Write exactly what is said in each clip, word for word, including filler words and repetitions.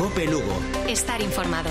Cope Lugo. Estar informado.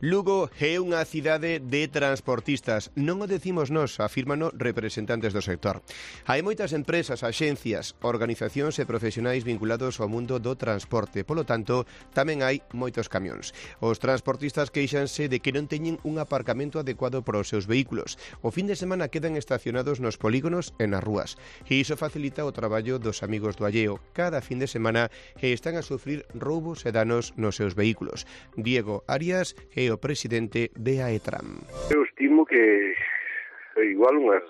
Lugo é unha cidade de transportistas. Non o decimos nós, afírmano representantes do sector. Hai moitas empresas, axencias, organizacións e profesionais vinculados ao mundo do transporte. Polo tanto, tamén hai moitos camións. Os transportistas queixanse de que non teñen un aparcamento adecuado para os seus vehículos. O fin de semana quedan estacionados nos polígonos e nas rúas. E iso facilita o traballo dos amigos do alleo. Cada fin de semana están a sufrir roubos e danos nos seus vehículos. Diego Arias é o presidente de AETRAM. Eu estimo que igual unhas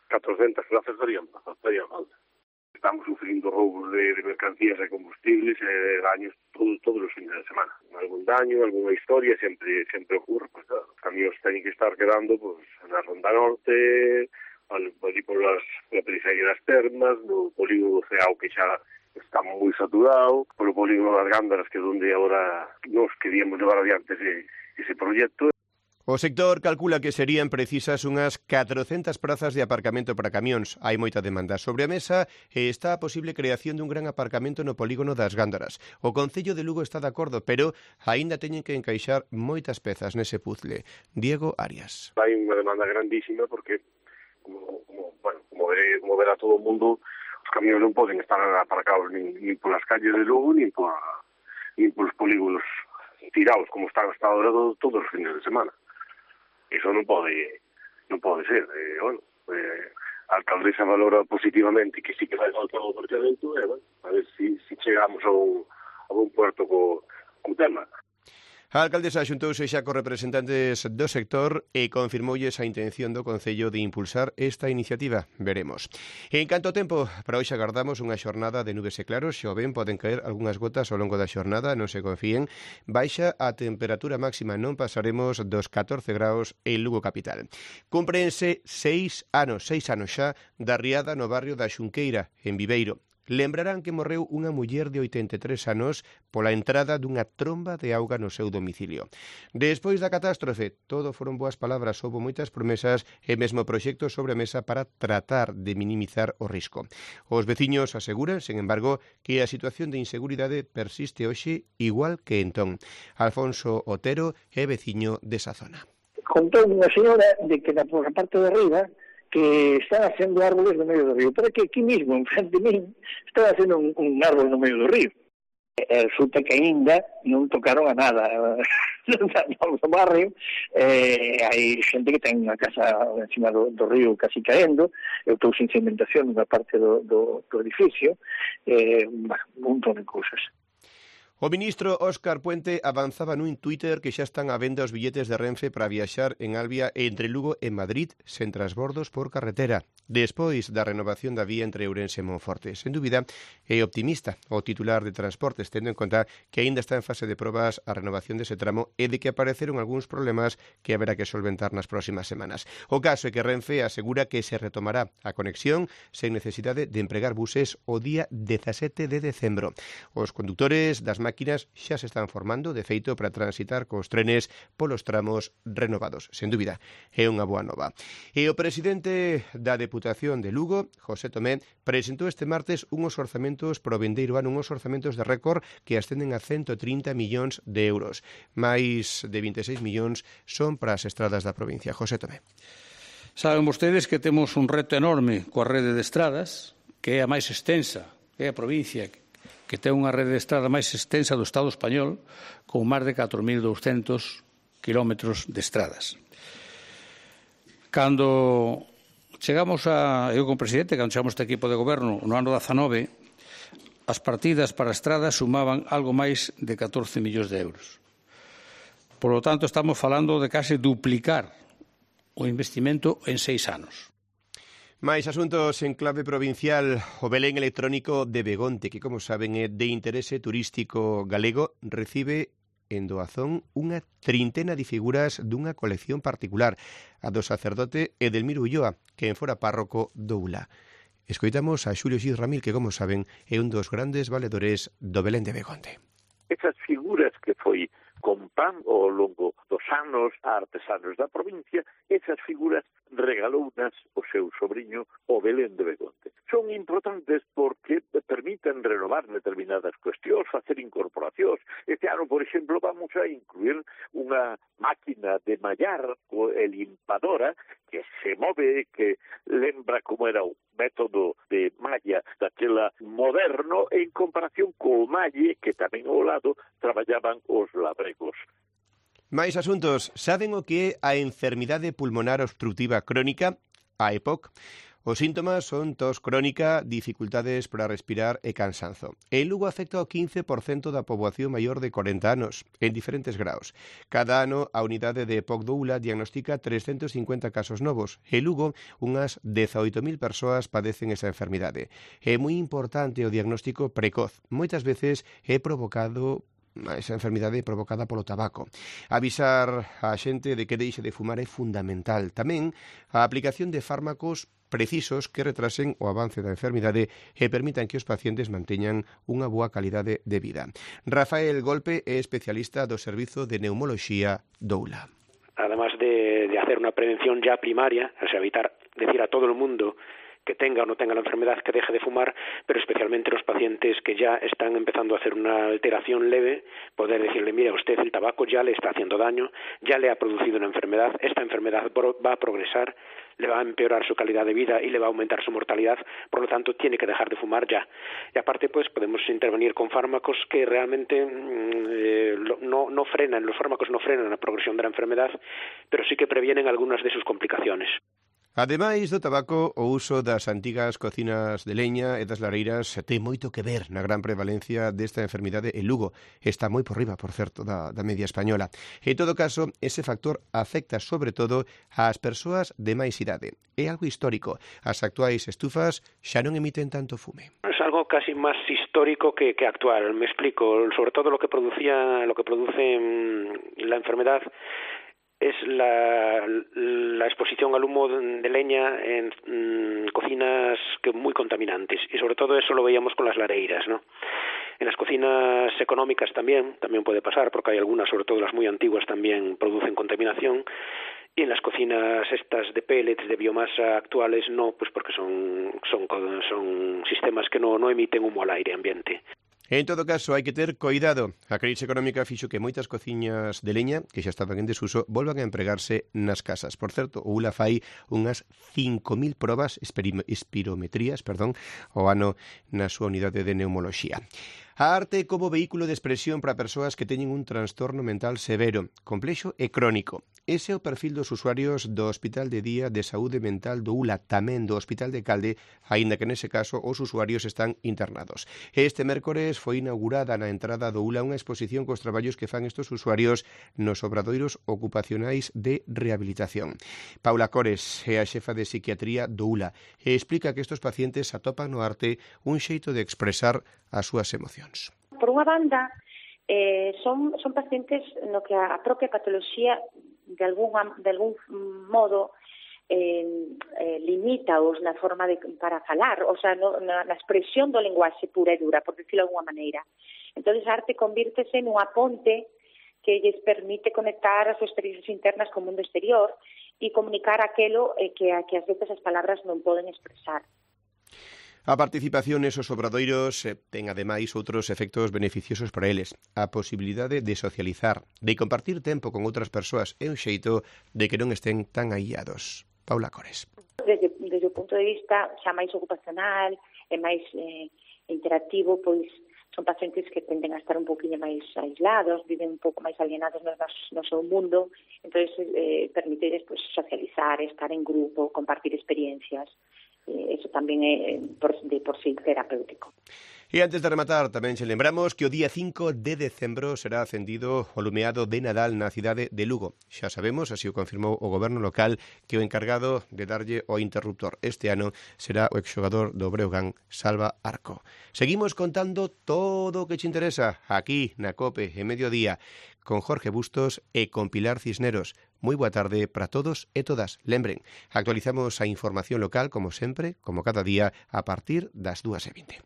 catrocentas plazas darían, darían falta. Estamos sufrindo roubos de, de mercancías e combustibles e daños todo, todos os fines de semana. Algún daño, alguna historia sempre sempre ocurre. Pues, claro, os camións teñen que estar quedando pues, na Ronda Norte, ali por las, la periferia das Termas, no polígono Ceao que xa está moi saturado, polo polígono das Gándaras, que é onde agora nos queríamos levar adiante ese, ese proxecto. O sector calcula que serían precisas unhas catrocentas prazas de aparcamento para camións. Hai moita demanda sobre a mesa e está a posible creación dun gran aparcamento no polígono das Gándaras. O Concello de Lugo está de acordo, pero aínda teñen que encaixar moitas pezas nese puzzle. Diego Arias. Hai unha demanda grandísima porque, como, como, bueno, como, veré, como verá todo o mundo, os camións non poden estar aparcados nin, nin polas calles de Lugo, nin, por, nin polos polígonos tirados, como están hasta ahora todos os fines de semana. Iso non pode non pode ser. Eh, bueno, eh, a alcaldesa valora positivamente que sí que vai faltar o aparcamento, e, eh, bueno, a ver si, si chegamos a un, a un puerto co, co tema. A alcaldesa xuntouse xa cos representantes do sector e confirmoulles a intención do Concello de impulsar esta iniciativa. Veremos. En canto tempo, para hoxe agardamos unha xornada de nubes e claros. Xa o ven, poden caer algunhas gotas ao longo da xornada, non se confíen. Baixa a temperatura máxima, non pasaremos dos catorce graus en Lugo capital. Cúmprense seis anos, seis anos xa, da riada no barrio da Xunqueira, en Viveiro. Lembrarán que morreu unha muller de oitenta e tres anos pola entrada dunha tromba de auga no seu domicilio. Despois da catástrofe, todo foron boas palabras, houbo moitas promesas e mesmo proxectos sobre a mesa para tratar de minimizar o risco. Os veciños aseguran, sen embargo, que a situación de inseguridade persiste hoxe igual que entón. Alfonso Otero é veciño desa zona. Contou unha señora de que na parte de arriba que están haciendo árboles no medio do río, pero que aquí mismo, en frente de mí, están haciendo un, un árbol no medio do río. E resulta que ainda non tocaron a nada no barrio. Eh, hai xente que ten unha casa encima do, do río casi caendo, eu estou sin cimentación nunha parte do, do, do edificio, eh, un montón de cousas. O ministro Óscar Puente avanzaba nun Twitter que xa están á venda os billetes de Renfe para viaxar en Albia entre Lugo e Madrid sen transbordos por carretera, despois da renovación da vía entre Ourense e Monforte. Sen dúbida, é optimista o titular de Transportes, tendo en conta que aínda está en fase de probas a renovación dese tramo e de que apareceron algúns problemas que haberá que solventar nas próximas semanas. O caso é que Renfe asegura que se retomará a conexión sen necesidade de empregar buses o día dezasete de decembro. Os condutores das máquinas xa se están formando, de feito, para transitar cos trenes polos tramos renovados. Sen dúbida, é unha boa nova. E o presidente da Deputación de Lugo, José Tomé, presentou este martes unhos orzamentos pro vindeiro ano, unhos orzamentos de récord que ascenden a ciento trinta millóns de euros. Mais de vinte e seis millóns son para as estradas da provincia. José Tomé. Saben vostedes que temos un reto enorme coa rede de estradas, que é a máis extensa, que é a provincia que ten unha rede de estrada máis extensa do Estado español, con máis de catro mil douscentos kilómetros de estradas. Cando chegamos a, eu como presidente, cando chegamos a este equipo de goberno no ano dezanove, as partidas para estradas sumaban algo máis de catorce millóns de euros. Por lo tanto, estamos falando de case duplicar o investimento en seis anos. Mais asuntos en clave provincial, o Belén electrónico de Begonte, que, como saben, é de interese turístico galego, recibe en doazón unha trintena de figuras dunha colección particular, a do sacerdote Edelmiro Ulloa, que en fora párroco do Ula. Escoitamos a Xulio Xis Ramil, que, como saben, é un dos grandes valedores do Belén de Begonte. Esas figuras que foi con pan ao longo dos artesanos a artesanos da provincia, esas figuras regalounas o seu sobrinho o Belén de Begonte. Son importantes porque permiten renovar determinadas cuestións, facer incorporacións. Este ano, por exemplo, vamos a incluir unha máquina de mallar, el limpadora, que se move, que lembra como era o método de malla daquela moderno en comparación co malle que tamén ao lado traballaban os labregos. Máis asuntos. Saben o que é a enfermidade pulmonar obstructiva crónica, a E P O C? Os síntomas son tos crónica, dificultades para respirar e cansanzo. En Lugo afecta ao quince por cento da poboación maior de corenta anos, en diferentes graus. Cada ano, a unidade de E P O C do Ula diagnostica trescentos cincuenta casos novos. En Lugo, unhas dezaoito mil persoas padecen esa enfermidade. É moi importante o diagnóstico precoz. Moitas veces é provocado esa enfermidade provocada polo tabaco. Avisar a xente de que deixe de fumar é fundamental. Tamén a aplicación de fármacos precisos que retrasen o avance da enfermidade e permitan que os pacientes manteñan unha boa calidade de vida. Rafael Golpe é especialista do Servizo de Neumoloxía do Ula. Además de, de hacer una prevención ya primaria, o sea, evitar decir a todo el mundo que tenga o no tenga la enfermedad que deje de fumar, pero especialmente los pacientes que ya están empezando a hacer una alteración leve, poder decirle, mira, usted el tabaco ya le está haciendo daño, ya le ha producido una enfermedad, esta enfermedad va a progresar, le va a empeorar su calidad de vida y le va a aumentar su mortalidad, por lo tanto tiene que dejar de fumar ya. Y aparte pues podemos intervenir con fármacos que realmente eh, no, no frenan, los fármacos no frenan la progresión de la enfermedad, pero sí que previenen algunas de sus complicaciones. Ademais do tabaco, o uso das antigas cocinas de leña e das lareiras ten moito que ver na gran prevalencia desta enfermidade en Lugo. Está moi por riba, por certo, da, da media española. En todo caso, ese factor afecta sobre todo ás persoas de máis idade. É algo histórico. As actuais estufas xa non emiten tanto fume. Es algo casi más histórico que, que actual. Me explico. Sobre todo lo que producía, lo que produce mmm, la enfermedad es la, la exposición al humo de leña en mmm, cocinas que muy contaminantes, y sobre todo eso lo veíamos con las lareiras, ¿no? En las cocinas económicas también, también puede pasar, porque hay algunas, sobre todo las muy antiguas, también producen contaminación, y en las cocinas estas de pellets, de biomasa actuales, no, pues porque son, son, son sistemas que no, no emiten humo al aire ambiente. En todo caso, hai que ter coidado. A crise económica fixo que moitas cociñas de leña, que xa estaban en desuso, volvan a empregarse nas casas. Por certo, o Ula fai unhas cinco mil probas, espirometrías, perdón, o ano na súa unidade de neumoloxía. A arte como vehículo de expresión para persoas que teñen un trastorno mental severo, complexo e crónico. Ese é o perfil dos usuarios do Hospital de Día de Saúde Mental do Ula, tamén do Hospital de Calde, aínda que nese caso os usuarios están internados. Este mércores foi inaugurada na entrada do Ula unha exposición cos traballos que fan estes usuarios nos obradoiros ocupacionais de rehabilitación. Paula Cores é a xefa de psiquiatría do Ula e explica que estes pacientes atopan no arte un xeito de expresar as súas emocións. Por unha banda, eh, son, son pacientes no que a propia patoloxía de algún, de algún modo eh, eh, limita-os na forma de, para falar, o sea, no, na, na expresión do lenguaxe pura e dura, por decirlo de alguna maneira. Entón, a arte convírtese nunha ponte que lles permite conectar as súas experiencias internas co mundo exterior e comunicar aquelo eh, que, que ás veces as palabras non poden expresar. A participación nesos obradoiros eh, ten ademais outros efectos beneficiosos para eles. A posibilidade de socializar, de compartir tempo con outras persoas é un xeito de que non estén tan aíllados. Paula Cores. Desde, desde o punto de vista xa máis ocupacional e máis eh, interactivo, pois son pacientes que tenden a estar un poquinho máis aislados, viven un pouco máis alienados no, no seu mundo, entón eh, permiteres pues, socializar, estar en grupo, compartir experiencias. Eh, eso tamén é por, de por sí terapéutico. E antes de rematar, tamén se lembramos que o día cinco de decembro será acendido o lumeado de Nadal na cidade de Lugo. Xa sabemos, así o confirmou o goberno local, que o encargado de darlle o interruptor este ano será o exxogador do Breogán, Salva Arco. Seguimos contando todo o que te interesa aquí na COPE en mediodía con Jorge Bustos e con Pilar Cisneros. Moi boa tarde para todos e todas. Lembren, actualizamos a información local como sempre, como cada día, a partir das dúas e vinte.